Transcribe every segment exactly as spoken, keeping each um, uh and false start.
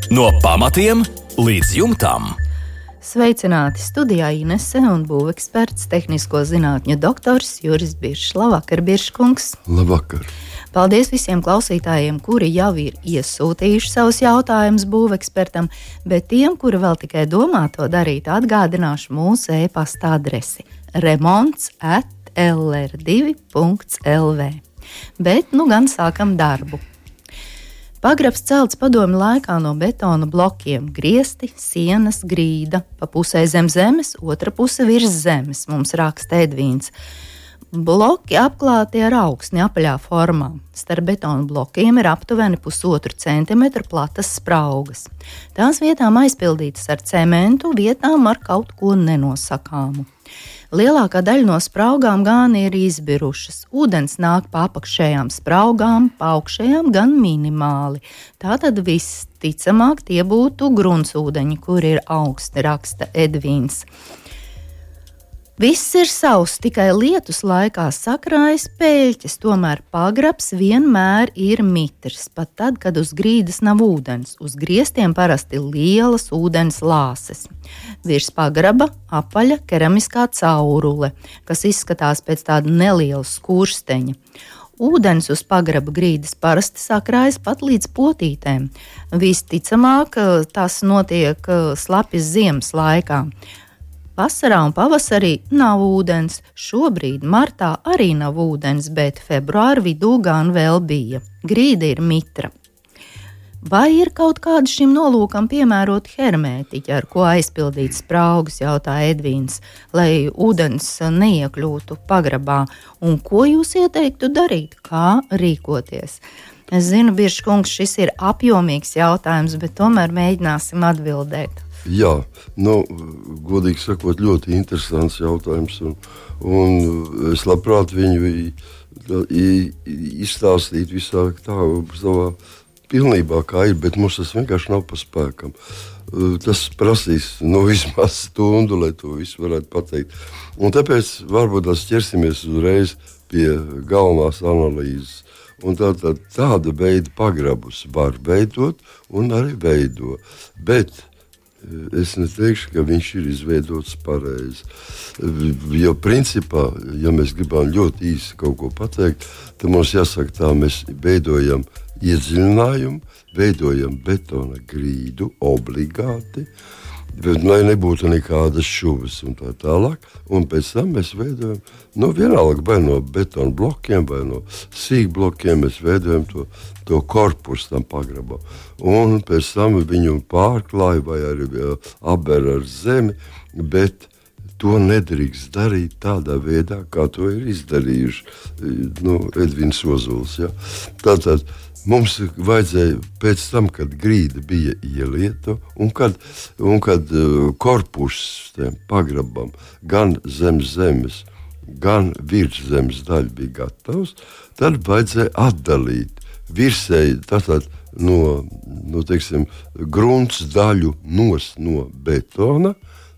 No pamatiem līdz jumtam. Sveicināti studijā Inese un būveksperts, tehnisko zinātņu doktors Juris Biršs. Labvakar, Birškungs. Labvakar. Paldies visiem klausītājiem, kuri jau ir iesūtījuši savus jautājumus būvekspertam, bet tiem, kuri vēl tikai domā to darīt, atgādināšu mūsu e-pasta adresi remonts at l r divi punkts l v. Bet nu gan sākam darbu. Pagrabs celts padomju laikā no betona blokiem, griesti, sienas, grīda, pa pusē zem zemes, otra puse virs zemes, mums raksta Edvīns. Bloki apklāti ar augsni apaļā formā. Starp betona blokiem ir aptuveni pusotru centimetru platas spraugas. Tās vietām aizpildītas ar cementu, vietām ar kaut ko nenosakāmu. Lielākā daļa no spraugām gan ir izbirušas. Ūdens nāk pa apakšējām spraugām, pa augšējām gan minimāli. Tātad visticamāk tie būtu gruntsūdeņi, kur ir augsti, raksta Edvīns. Viss ir sauss, tikai lietus laikā sakrājas pēļķes, tomēr pagrabs vienmēr ir mitrs, pat tad, kad uz grīdas nav ūdens. Uz griestiem parasti lielas ūdens lāses. Virs pagraba apaļa keramiskā caurule, kas izskatās pēc tāda neliela skursteņa. Ūdens uz pagraba grīdas parasti sakrājas pat līdz potītēm. Visticamāk, tas notiek slapjas ziemas laikā. Vasarā un pavasarī nav ūdens, šobrīd martā arī nav ūdens, bet februāra vidū gan vēl bija. Grīda ir mitra. Vai ir kaut kāda šim nolūkam piemērota hermētiķa, ar ko aizpildīt spraugas, jautā Edvīns, lai ūdens neiekļūtu pagrabā? Un ko jūs ieteiktu darīt? Kā rīkoties? Es zinu, Birškungs, šis ir apjomīgs jautājums, bet tomēr mēģināsim atbildēt. Jā, nu, godīgi sakot, ļoti interesants jautājums, un, un es labprāt viņu izstāstītu visā tā savā pilnībā, kā ir, bet mums tas vienkārši nav pa spēkam. Tas prasīs nu, vismaz stundu, lai to visu varētu pateikt. Un tāpēc varbūt tās ķersimies uzreiz pie galvenās analīzes. Un tā, tā, tāda veida pagrabus var veidot un arī veido, bet es neteikšu, ka viņš ir izveidots pareizi. Jo principā, ja mēs gribam ļoti īsi kaut ko pateikt, tad mums jāsaka tā, mēs veidojam iedziļinājumu, veidojam betona grīdu obligāti, bet, lai nebūtu nekādas šuvas un tā tālāk, un pēc tam mēs veidojam, nu vienalga vai no betona blokiem, vai no sīkblokiem, mēs veidojam to, to korpusu tam pagrabam, un pēc tam viņu pārklāja vai arī aber ar zemi, bet to nedrīkst darīt tādā veidā, kā to ir izdarījuši nu, Edvins Ozols. Ja? Tātad mums vajadzēja pēc tam, kad grīda bija ielieta un kad, un kad uh, korpus tiem pagrabam gan zem zemes, gan virs zemes daļa bija gatavs, tad vajadzēja atdalīt virsēji tātad no, no teiksim, grunts daļu nos no betona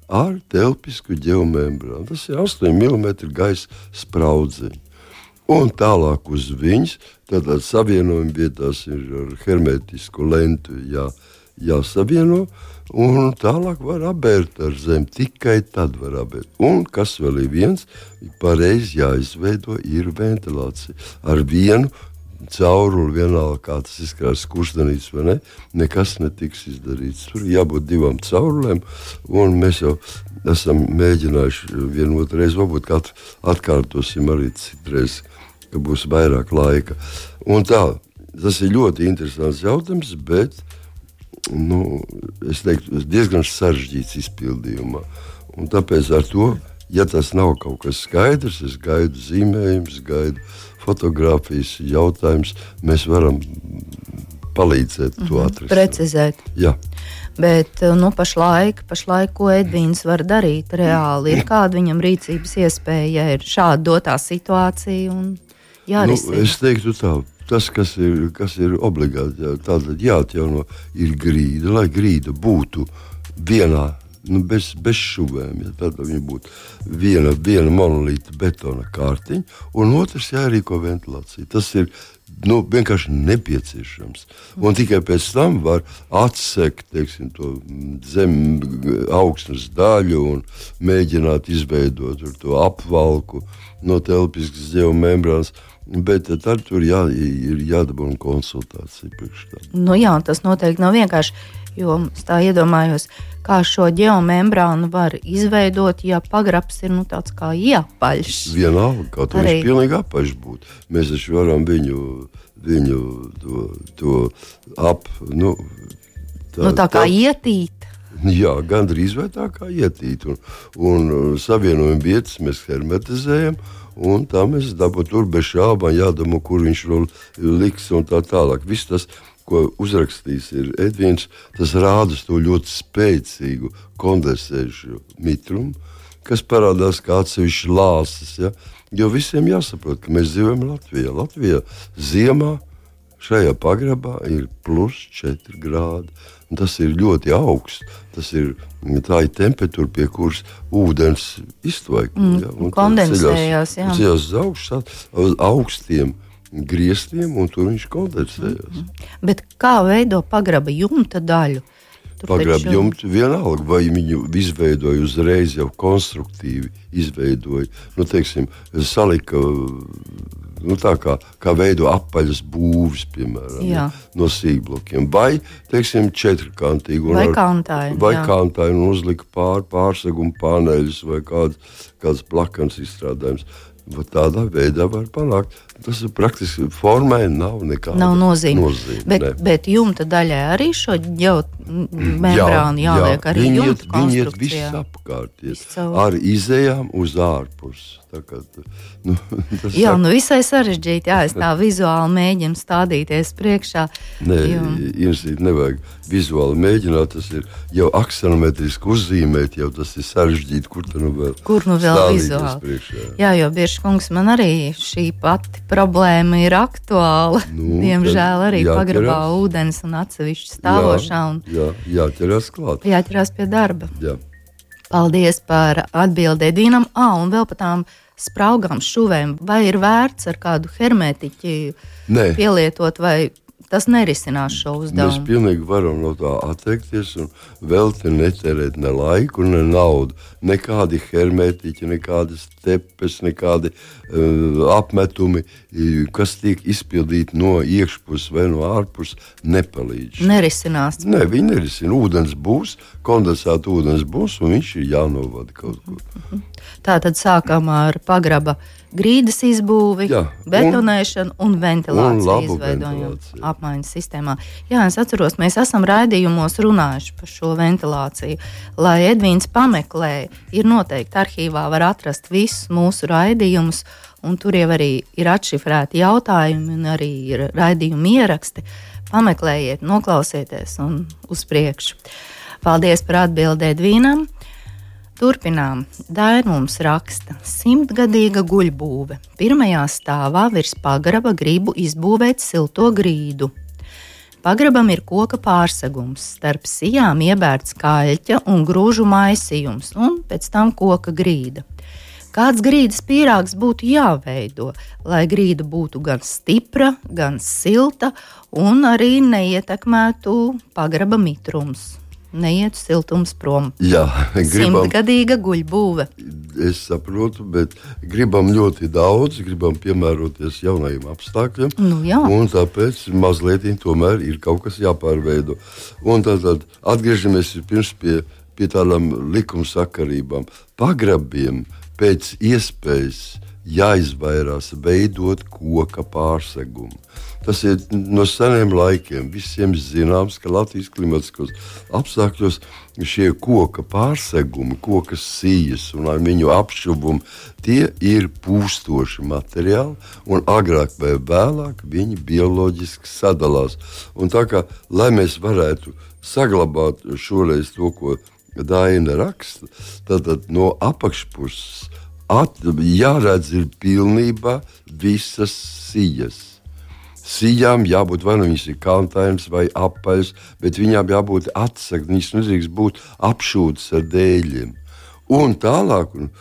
ar telpisku ģeomembrānu. Tas ir astoņi milimetri gaisa spraudziņi. Un tālāk uz viņas, tātad savienojuma vietās ir ar hermetisku lentu jā, jāsavieno, un tālāk var abērt ar zemi, tikai tad var abērt. Un kas vēl ir viens, pareizi jāizveido, ir ventilācija. Ar vienu cauruli vienalga, kā tas izskatās skurstenīts vai ne, nekas netiks izdarīts. Tur jābūt divām caurulēm, un mēs jau esam mēģinājuši vienu otru reizi, varbūt atkārtosim arī citreiz, ka būs vairāk laika. Un tā, tas ir ļoti interesants jautājums, bet, nu, es teiktu, diezgan sarežģīts izpildījumā. Un tāpēc ar to, ja tas nav kaut kas skaidrs, es gaidu zīmējums, gaidu fotogrāfijas jautājums, mēs varam palīdzēt to atrast. Precizēt. Jā. Bet, nu, pašlaik, pašlaik, ko Edvīns var darīt reāli, ir kāda viņam rīcības iespēja, ja ir šāda dotā situācija un jārisina? Nu, es teiktu tā, tas, kas ir, kas ir obligāti, jā, tātad jāatjauno ir grīda, lai grīda būtu vienā nu, bez, bez šuvēm. Ja, tad viņi būtu viena, viena monolīta betona kārtiņa, un otrs jārīko ventilācija. Tas ir nu, vienkārši nepieciešams. Un tikai pēc tam var atsekt, teiksim, to zem augsnes daļu un mēģināt izveidot to apvalku no telpiskas geomembrānas. Bet tad tur jā, ir jādabūna konsultācija priekš tam. Nu jā, tas noteikti nav vienkārši, jo es tā iedomājos, kā šo geomembrānu var izveidot, ja pagrabs ir nu, tāds kā iepaļš. Vienalga, kā to viņš pilnīgi apaļš būtu. Mēs taču varam viņu, viņu to, to ap, nu, tā, nu, tā kā tā, ietīt. Jā, gandrīz vai tā kā ietīt. Un, un savienojuma vietas mēs hermetizējam, un tā mēs dabū tur bez šābām jādomā, kur viņš liks un tā tālāk. Viss tas, ko uzrakstījis ir Edvīns, tas rāda to ļoti spēcīgu kondensējušu mitrumu, kas parādās kā atsevišķi lāsas. Ja? Jo visiem jāsaprot, ka mēs dzīvojam Latvijā. Latvijā ziemā šajā pagrabā ir plus četri grādi. Un tas ir ļoti augsts. Tas ir, tā ir temperatūra, pie kuras ūdens iztvaik. Mm, ja? Kondensējās, jā. Tas ceļās uz augšu, uz augstiem griestiem, un tur viņš kondensējās. Mm-hmm. Bet kā veido pagraba jumta daļu? Tur pagraba taču... jumta vienalga, vai viņu izveidoja uzreiz jau konstruktīvi izveidoja. Nu, teiksim, salika... Nu, tā kā, kā veido apaļas būvis, piemēram, ja, no sīkblokiem. Vai, teiksim, četrkantīgu. Vai kantāju. Vai kantāju un uzlika pār, pārsegumu paneļus vai kāds, kāds plakans izstrādājums. Tādā veidā var panākt. Tas ir praktiski formai nav nekāda nav nozīme. nozīme bet, bet jumta daļai arī šo geomembrānu jā, jāliek jā, arī viņi jumta iet, konstrukcijā. Viņi iet viss apkārt, ar izējām uz ārpusi. Tā kā, nu, jā, nu visai sarežģīti. Jā, es tā vizuāli mēģinu stādīties priekšā. Nē, Inesīt, nevajag vizuāli mēģināt. Tas ir jau aksanometriski uzzīmēt, jau tas ir sarežģīti. Kur nu vēl, Kur nu vēl vizuāli? Priekšā. Jā, jo bieži kungs man arī šī pati problēma ir aktuāla. Nu, Diemžēl arī jāķerās. Pagrabā ūdens un atsevišķi stāvošā. Un jā, jā, jāķerās klāt. Jāķerās pie darba. Jā. Paldies par atbildi Edvīnam. Ā, un vēl par tām spraugām šuvēm. Vai ir vērts ar kādu hermetiķi Nē. pielietot, vai tas nerisinās šo uzdevumu? Mēs pilnīgi varam no tā atteikties un vēl te neterēt ne laiku, ne naudu. Nekādi hermetiķi, nekādas tepes, nekādi uh, apmetumi, kas tiek izpildīti no iekšpuses vai no ārpuses, nepalīdz. Nerisinās. Nē, viņi nerisina. Ūdens būs, kondensēta ūdens būs, un viņš ir jānovada kaut kur. Tā tad sākam ar pagraba grīdas izbūvi, jā, betonēšanu un, un ventilāciju izveidojumu apmaiņas sistēmā. Jā, es atceros, mēs esam raidījumos runājuši par šo ventilāciju. Lai Edvīns pameklē, ir noteikti arhīvā var atrast visus mūsu raidījumus, un tur jau arī ir atšifrēti jautājumi un arī ir raidījumi ieraksti. Pameklējiet, noklausieties un uz priekšu. Paldies par atbildi Edvīnam. Turpinām. Daina mums raksta: simtgadīga guļbūve. Pirmajā stāvā virs pagraba gribu izbūvēt silto grīdu. Pagrabam ir koka pārsegums, starp sijām iebērts kaļķa un grūžu maisījums, un pēc tam koka grīda. Kāds grīdas pīrāgs būtu jāveido, lai grīda būtu gan stipra, gan silta un arī neietekmētu pagraba mitrums? Neiet siltums prom. Jā, gribam, simtgadīga guļbūve. Es saprotu, bet gribam ļoti daudz, gribam piemēroties jaunajiem apstākļiem. Nu, jā. Un tāpēc mazliet tomēr ir kaut kas jāpārveido. Un tad, tad atgriežamies pirms pie, pie tādām likumsakarībām. Pagrabiem pēc iespējas jāizvairās veidot koka pārsegumu. Tas ir no seniem laikiem. Visiem zināms, ka Latvijas klimatiskos apstākļos šie koka pārsegumi, koka sijas un ar viņu apšuvumu, tie ir pūstoši materiāli, un agrāk vai vēlāk viņi bioloģiski sadalās. Un tā kā, lai mēs varētu saglabāt šoreiz to, ko Daina raksta, tad, tad no apakšpuses at, jāredz ir pilnībā visas sijas. Sijām jābūt, vai nu viņas ir kalntainas vai apaļas, bet viņām jābūt atsakt, viņas nedrīkst būt apšūtas ar dēļiem. Un tālāk, un,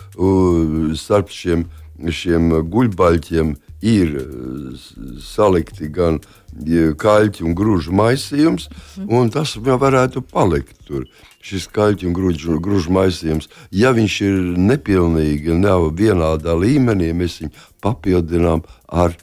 starp šiem, šiem guļbaļķiem ir salikti gan kaļķi un grūžu maisījums, un tas varētu palikt tur. Šis kaļķi un grūžu, grūžu maisījums, ja viņš ir nepilnīgi, nav vienādā līmenī, mēs viņu papildinām ar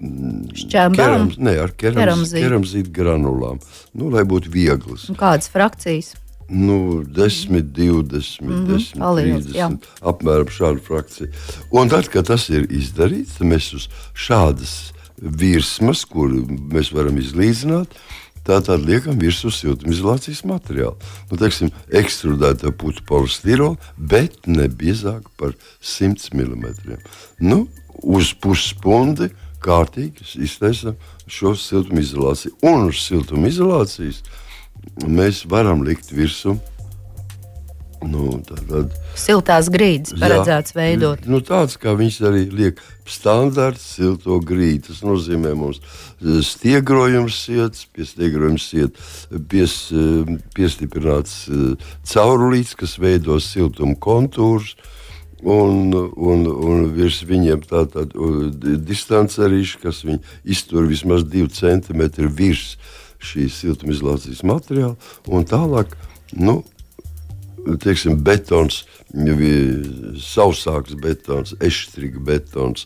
šķembām? Ne, ar keramzītu granulām, nu, lai būtu vieglas. Un kādas frakcijas? Nu, desmit, divdesmit, mm-hmm. desmit, trīsdesmit, apmēram šādu frakciju. Un tad, kad tas ir izdarīts, tad mēs uz šādas virsmas, kur mēs varam izlīdzināt, tātad liekam virsū siltumizolācijas materiālu. Nu, teiksim, ekstrudēta putu polistirola, bet ne biezāk par simt milimetriem. Nu, uz pusspundi kārtīgi iztaisam šo siltumizolāciju. Un uz siltumizolācijas mēs varam likt virsū nu, tātad, siltās grīdas paredzēts jā, veidot. Nu, tāds, kā viņš arī liek standarts silto grīdu. Tas nozīmē mums stiegrojums sietas, pie stiegrojums siet pies, piestiprināts caurulīts, kas veido siltumu kontūrus. Un, un, un virs viņiem tātad distancerīši, kas viņi iztur vismaz divi centimetri virs šīs siltumizolācijas materiāla, un tālāk, nu, teiksim, betons, sausāks betons, eštriga betons,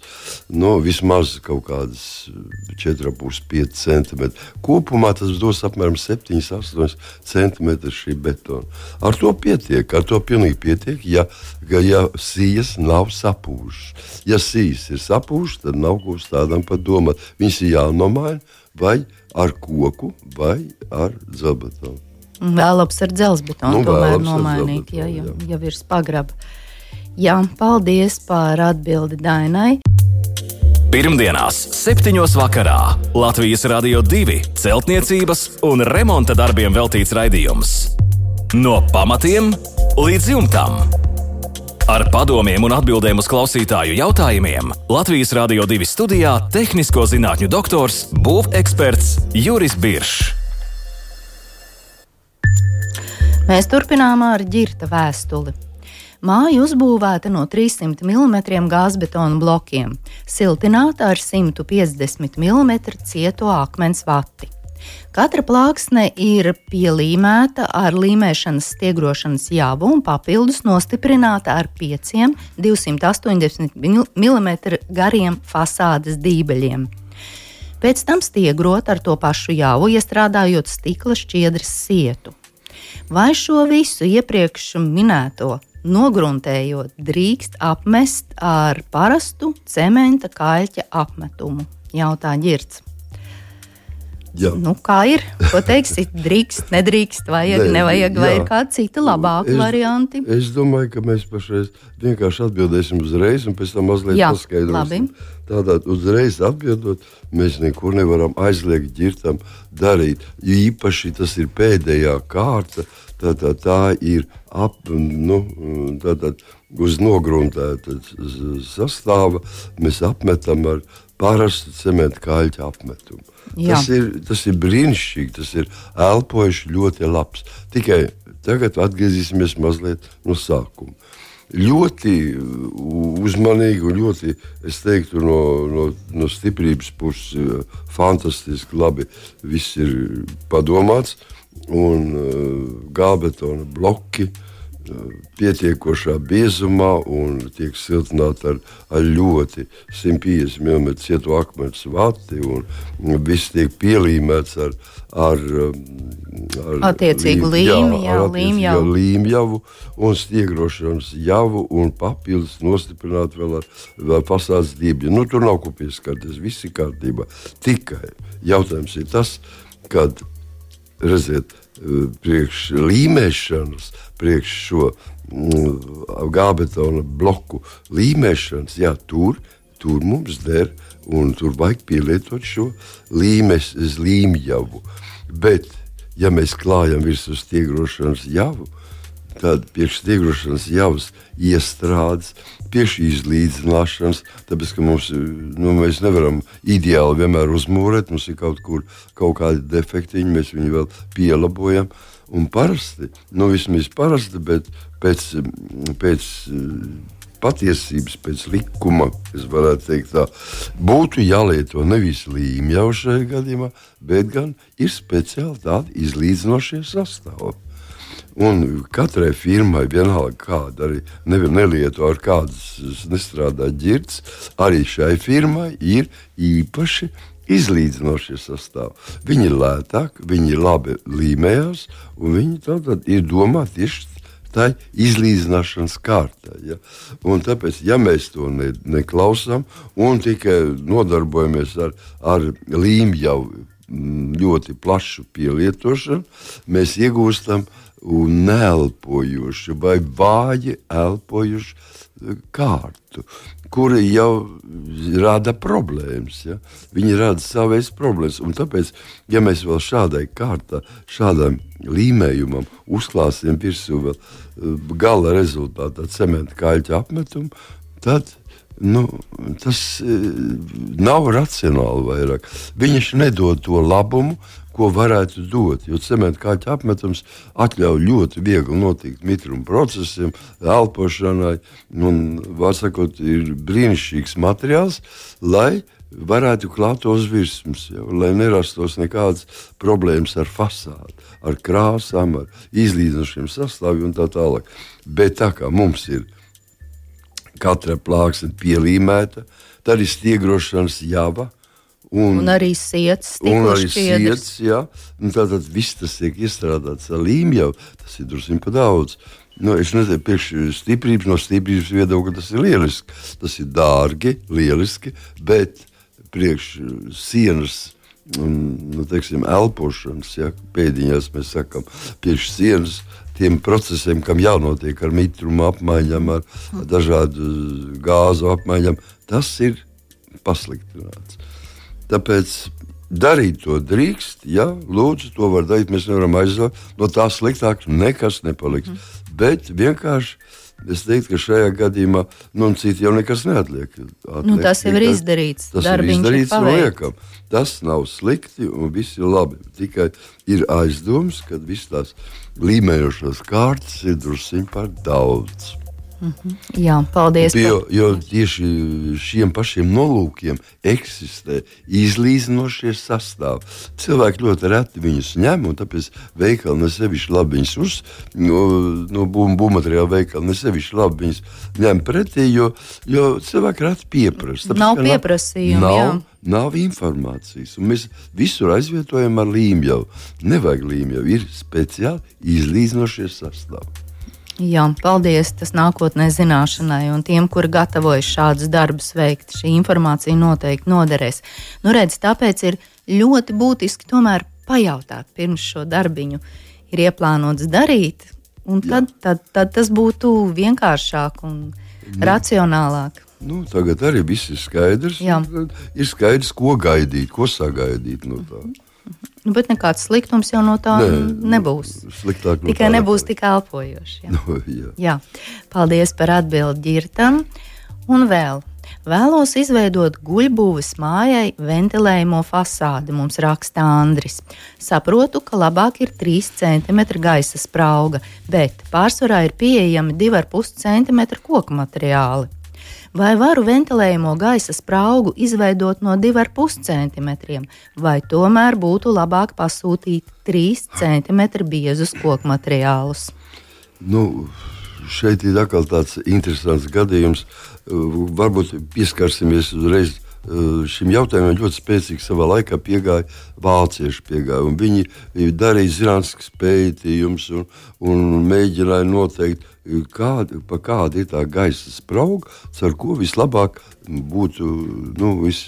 nu, vismaz kaut kādas četri komats pieci pieci centimetri. Kopumā tas dos apmēram septiņi astoņi centimetri šī betona. Ar to pietiek, ar to pilnīgi pietiek, ja, ja sijas nav sapūšas. Ja sijas ir sapūšas, tad nav ko uz tādām pat domāt. Viņas ir jānomaina vai ar koku, vai ar dzelzbetonu. Vēlams ar dzelzbetonu, nu, tomēr nomainīt, ja, ja, ja virs pagraba. Jā, paldies par atbildi Dainai. Pirmdienās, septiņos vakarā Latvijas Radio divi celtniecības un remonta darbiem veltīts raidījums. No pamatiem līdz jumtam. Ar padomiem un atbildēm uz klausītāju jautājumiem Latvijas Radio divi studijā tehnisko zinātņu doktors, būveksperts Juris Biršs. Mēs turpinām ar ģirta vēstuli. Māja uzbūvēta no trīssimt milimetriem gāzbetona blokiem, siltināta ar simt piecdesmit milimetru cieto akmens vati. Katra plāksne ir pielīmēta ar līmēšanas stiegrošanas javu un papildus nostiprināta ar pieciem divsimt astoņdesmit milimetru gariem fasādes dībeļiem. Pēc tam stiegrot ar to pašu javu, iestrādājot stikla šķiedras sietu. Vai šo visu iepriekš minēto nogruntējot drīkst apmest ar parastu cementa kaļķa apmetumu? Jautā Ģirts. Jā. Nu, kā ir? Ko teiksit? Drīkst, nedrīkst, vajag, ne, nevajag, vai jā. Ir kādi citi labāki es, varianti? Es domāju, ka mēs pašreiz vienkārši atbildēsim uzreiz un pēc tam mazliet jā, paskaidrosim. Tātad uzreiz atbildot, mēs nekur nevaram aizliegt ģirtam darīt. Īpaši tas ir pēdējā kārta, tātad tā ir ap, nu, tātad uz nogruntēta sastāva, mēs apmetam ar parastu cementa kaļķa apmetumu. Tas ir, tas ir brīnišķīgi, tas ir elpojuši ļoti labs. Tikai tagad atgriezīsimies mazliet no sākuma. Ļoti uzmanīgi un ļoti, es teiktu, no, no, no stiprības puses fantastiski labi viss ir padomāts un gābetona bloki pietiekošā biezumā un tiek siltināti ar, ar ļoti simt piecdesmit milimetru cieto akmens vati un viss tiek pielīmēts ar, ar, ar attiecīgu līmjavu, līmjavu. līmjavu un stiegrošanas javu un papildus nostiprināt vēl ar, vēl fasādes dībļu. Nu, tur nav ko pieskarties, viss ir kārtībā. Tikai jautājums ir tas, kad, redziet, priekš līmēšanas, priekš šo mm, gābetona bloku līmēšanas, jā, tur, tur mums der un tur vajag pielietot šo līmes, līmjavu. Bet, ja mēs klājam virsū stiegrošanas javu, tāda priekšstiegrošanas javas iestrādes, priekš izlīdzināšanas, tāpēc, ka mums, nu, mēs nevaram ideāli vienmēr uzmūrēt, mums ir kaut kur kaut kādi defektiņi, mēs viņu vēl pielabojam. Un parasti, nu vismaz parasti, bet pēc, pēc patiesības, pēc likuma, es varētu teikt tā, būtu jālieto nevis līmjau šajā gadījumā, bet gan ir speciāli tādi izlīdzinošie sastāvi. Un katrai firmai vienalga kāda arī nevar nelieto ar kādas nestrādā ģirds, arī šai firmai ir īpaši izlīdzinošie sastāvi. Viņi ir lētāki, viņi ir labi līmējās, un viņi tātad ir domāti tieši tā izlīdzināšanas kārtā. Ja? Un tāpēc, ja mēs to ne, neklausām un tikai nodarbojamies ar, ar līmjau ļoti plašu pielietošanu, mēs iegūstam un neelpojuši vai vāji elpojuši kārtu, kuri jau rada problēmas. Ja? Viņi rada savas problēmas. Un tāpēc, ja mēs vēl šādai kārtā, šādam līmējumam uzklāsim virsū vēl gala rezultātā cementa kaļķa apmetumu, tad nu, tas e, nav racionāli vairāk. Viņš nedod to labumu, ko varētu dot, jo cementa kaļķa apmetums atļauj ļoti viegli notikt mitruma procesiem, elpošanai, un, var sakot, ir brīnišķīgs materiāls, lai varētu klāt tos virsmas, ja, lai nerastos nekādas problēmas ar fasādi, ar krāsām, ar izlīdzinošiem sastāviem un tā tālāk. Bet tā kā mums ir katra plāksne pielīmēta, tad ir stiegrošanas java, Un, un arī siets, un arī siets, jā. Un tātad viss tas tiek iestrādāts ar līmjau, tas ir drusim pa daudz. Nu, es nezinu, priekš stiprības, no stiprības viedokļa tas ir lieliski. Tas ir dārgi, lieliski, bet priekš sienas, nu, teiksim, elpošanas, ja, pēdiņās mēs sakam, priekš sienas, tiem procesiem, kam jānotiek ar mitrumu apmaiņam, ar dažādu gāzu apmaiņam, tas ir pasliktināts. Tāpēc darīt to drīkst, ja, lūdzu, to var darīt, mēs nevaram aizvākt, no tā sliktāk nekas nepaliks. Mm. Bet vienkārši, es teiktu, ka šajā gadījumā, nu, un citi jau nekas neatliek. Atliek, nu, tas jau ir izdarīts, tas ir izdarīts un liekam. Tas nav slikti un viss ir labi. Tikai ir aizdoms, ka viss tās līmējošās kārtas ir drusiņ par daudz. Mm-hmm. Jā, paldies. Jo, jo tieši šiem pašiem nolūkiem eksistē izlīdzinošie sastāvi. Cilvēki ļoti reti viņus ņem, un tāpēc veikali nesevišķi labi viņus uz, no, no būvmateriāla veikali nesevišķi labi viņus ņem pretī, jo, jo cilvēki reti pieprasa. Tāpēc, nav pieprasījuma, nav, jā. Nav informācijas, un mēs visur aizvietojam ar līmjau. Nevajag līmjau, ir speciāli izlīdzinošie sastāvi. Jā, paldies, tas nākotnē zināšanai, un tiem, kuri gatavojas šādus darbus veikt, šī informācija noteikti noderēs. Nu, redz, tāpēc ir ļoti būtiski tomēr pajautāt, pirms šo darbiņu ir ieplānots darīt, un tad, tad, tad tas būtu vienkāršāk un nu, racionālāk. Nu, tagad arī viss ir skaidrs. Ir skaidrs, ko gaidīt, ko sagaidīt no tā. Nu, bet nekāds sliktums jau no tā ne, nebūs. Sliktāk no Tikai tā nebūs nekā. tik elpojoši. Jā. No, jā. Jā. Paldies par atbildi Ģirtam. Un vēl. Vēlos izveidot guļbūves mājai ventilējumu fasādi, mums raksta Andris. Saprotu, ka labāk ir trīs centimetri gaisa sprauga, bet pārsvarā ir pieejami divi ar pus centimetri koku materiāli. Vai varu ventilējumu gaisa spraugu izveidot no divi ar pus centimetriem, vai tomēr būtu labāk pasūtīt trīs centimetri biezus koku materiālus? Nu, šeit ir atkal tāds interesants gadījums. Varbūt pieskarsimies uzreiz šim jautājumam. Ļoti spēcīgi savā laikā piegāja vācieši piegāja, un viņi darīja zinātniskus pētījumus un, un mēģināja noteikt, kāda, pa kāda ir tā gaisa sprauga, ar ko vislabāk būtu, nu, vis,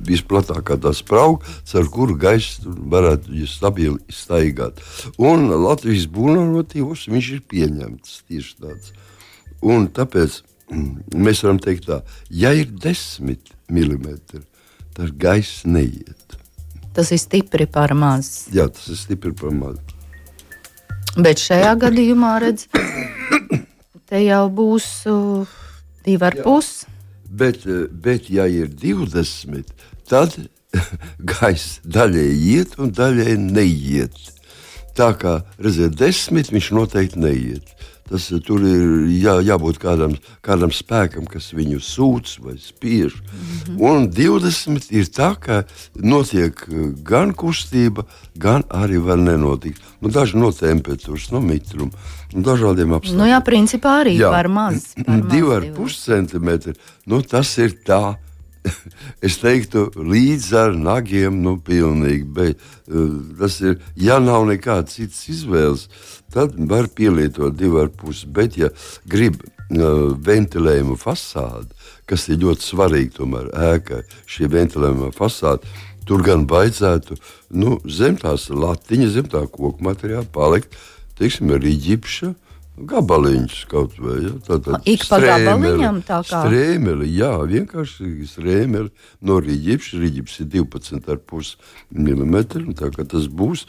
visplatākā tā sprauga, ar kuru gaisu varētu stabili staigāt. Un Latvijas būvnormatīvos viņš ir pieņemts tieši tāds. Un tāpēc mēs varam teikt tā, ja ir desmit milimetri, tad gaiss neiet. Tas ir stipri par maz. Jā, tas ir stipri par maz. Bet šajā gadījumā, redz, te jau būs uh, divi ar pus. Bet, bet, ja ir divdesmit, tad gaisa daļai iet un daļai neiet. Tā kā, redziet, desmit viņš noteikti neiet. Tas, tur ir jā, jābūt kādam, kādam spēkam, kas viņu sūc vai spiež. Mm-hmm. Un divdesmit ir tā, ka notiek gan kustība, gan arī var nenotikt. Nu, daži no temperatūras, no mitruma, no dažādiem apstākļiem. Nu jā, principā arī jā. par maz. Divi ar pus centimetri, nu tas ir tā. Es teiktu, līdz ar nagiem, nu, pilnīgi. Bet, uh, tas ir, ja nav nekādas citas izvēles, tad var pielietot divi ar pus. Bet, ja grib uh, ventilējumu fasādi, kas ir ļoti svarīgi tomēr ēkai, šie ventilējuma fasādi, tur gan baidzētu, nu, zem tās latiņa, zem tā koku materiāla palikt, teiksim, arī ģipša, gabaliņš kaut vai, ja, tātad ik pa gabaliņam tā kā? Strēmeli, jā, vienkārši strēmeli no rīģips, rīģips ir divpadsmit ar pus milimetri, tā kā tas būs,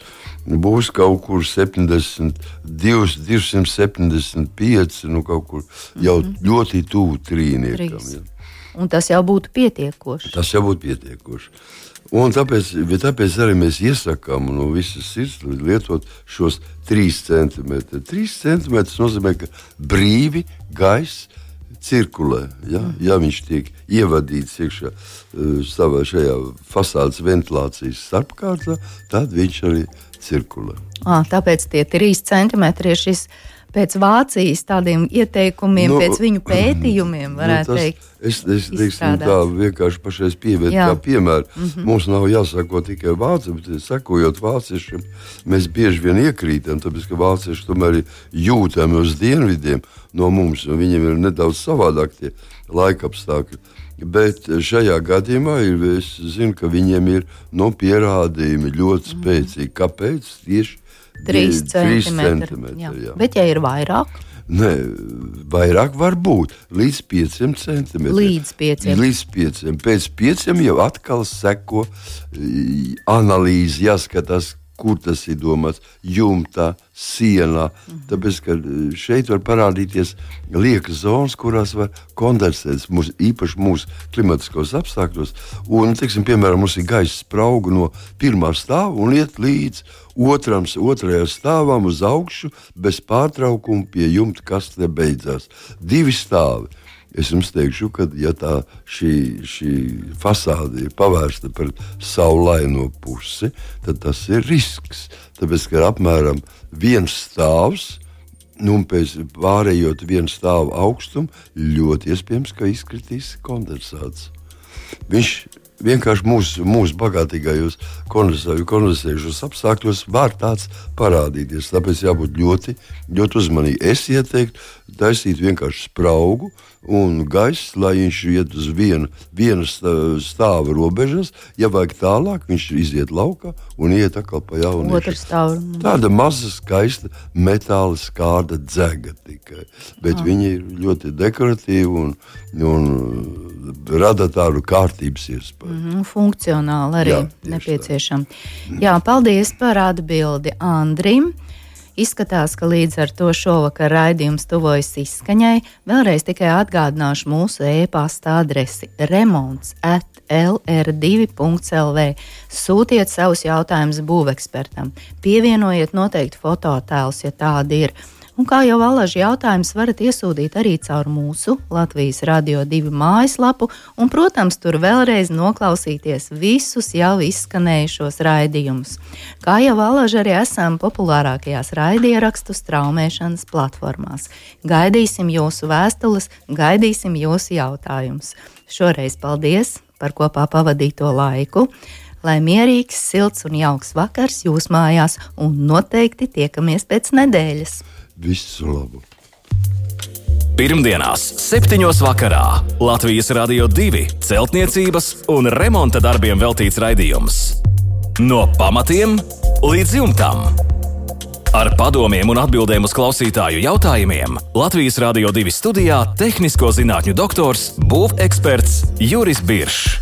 būs kaut kur septiņdesmit divi, divsimt septiņdesmit pieci, nu kaut kur jau mm-hmm. ļoti tuvu trīniekam. Ja. Un tas jau būtu pietiekoši. Tas jau būtu pietiekoši. Un tāpēc, tāpēc arī mēs iesakām no visas sirds lietot šos trīs centimetri. trīs centimetri nozīmē, ka brīvi gaiss cirkulē. Ja, ja viņš tiek ievadīts iekšā uh, savā šajā fasādes ventilācijas starpkārtā, tad viņš arī cirkulē. À, tāpēc tie trīs centimetri ir šis pēc Vācijas tādiem ieteikumiem, no, pēc viņu pētījumiem, varētu no tas, teikt. Es, es teiksim, tā vienkārši pašais pieviet kā piemēru. Mm-hmm. Mums nav jāsako tikai vācu, bet sakojot vāciešiem, mēs bieži vien iekrītam, tāpēc, ka vācieši tomēr ir jūtami uz dienvidiem no mums, un viņiem ir nedaudz savādāk tie laikapstākļi. Bet šajā gadījumā ir, es zinu, ka viņiem ir no pierādījumi ļoti spēcīgi. Kāpēc? Tieši trīs centimetri. Jā. Jā. Bet ja ir vairāk? Nē, vairāk var būt. Līdz pieciem centimetriem. Līdz pieciem. Līdz pieciem. Pēc pieciem jau atkal seko analīzi, jāskatās, kur tas ir domāts, jumtā, sienā. Mm-hmm. Tāpēc, ka šeit var parādīties liekas zonas, kurās var kondensēties, mūs, īpaši mūsu klimatiskos apstākļos. Un, teiksim, piemēram, mums ir gaisa sprauga no pirmā stāva un iet līdz otram, otrajā stāvam uz augšu, bez pārtraukuma pie jumta kastē beidzās. Divi stāvi. Es jums teikšu, ka ja tā šī, šī fasāde ir pavērsta pret saulaino pusi, tad tas ir risks. Tāpēc, ka ir apmēram viens stāvs, nu, un pēc pārējot vienu stāvu augstumu, ļoti iespējams, ka izkritīs kondensāts. Viņš vienkārši mūsu, mūsu bagātīgajos kondensējušos apstākļos var tāds parādīties. Tāpēc jābūt ļoti, ļoti uzmanīgi. Es ieteiktu taisīt vienkārši spraugu un gaiss, lai viņš iet uz vienu, vienu stāvu robežas. Ja vajag tālāk, viņš iziet laukā un iet atkal pa jaunu. Otru stāvu. Tāda maza, skaista metāla skārda dzega tikai. Bet ah. viņi ir ļoti dekoratīvi un, un rada tādu kārtības iespēju. Mm-hmm, funkcionāli arī nepieciešami. Jā, paldies par atbildi Andrim. Izskatās, ka līdz ar to šovakar raidījums tuvojas izskaņai. Vēlreiz tikai atgādināšu mūsu e-pasta adresi remonts at l r divi punkts l v. Sūtiet savus jautājumus būvekspertam. Pievienojiet noteikti fototēlus, ja tādi ir. Un kā jau alaži jautājums varat iesūtīt arī caur mūsu Latvijas Radio divi mājaslapu un, protams, tur vēlreiz noklausīties visus jau izskanējušos raidījumus. Kā jau alaži arī esam populārākajās raidierakstu straumēšanas platformās. Gaidīsim jūsu vēstules, gaidīsim jūsu jautājumus. Šoreiz paldies par kopā pavadīto laiku. Lai mierīgs, silts un jauks vakars jūs mājās un noteikti tiekamies pēc nedēļas. Visu labu! Pirmdienās, septiņos vakarā Latvijas Radio divi celtniecības un remonta darbiem veltīts raidījums. No pamatiem līdz jumtam. Ar padomiem un atbildēm uz klausītāju jautājumiem Latvijas Radio divi studijā tehnisko zinātņu doktors, būveksperts Juris Biršs.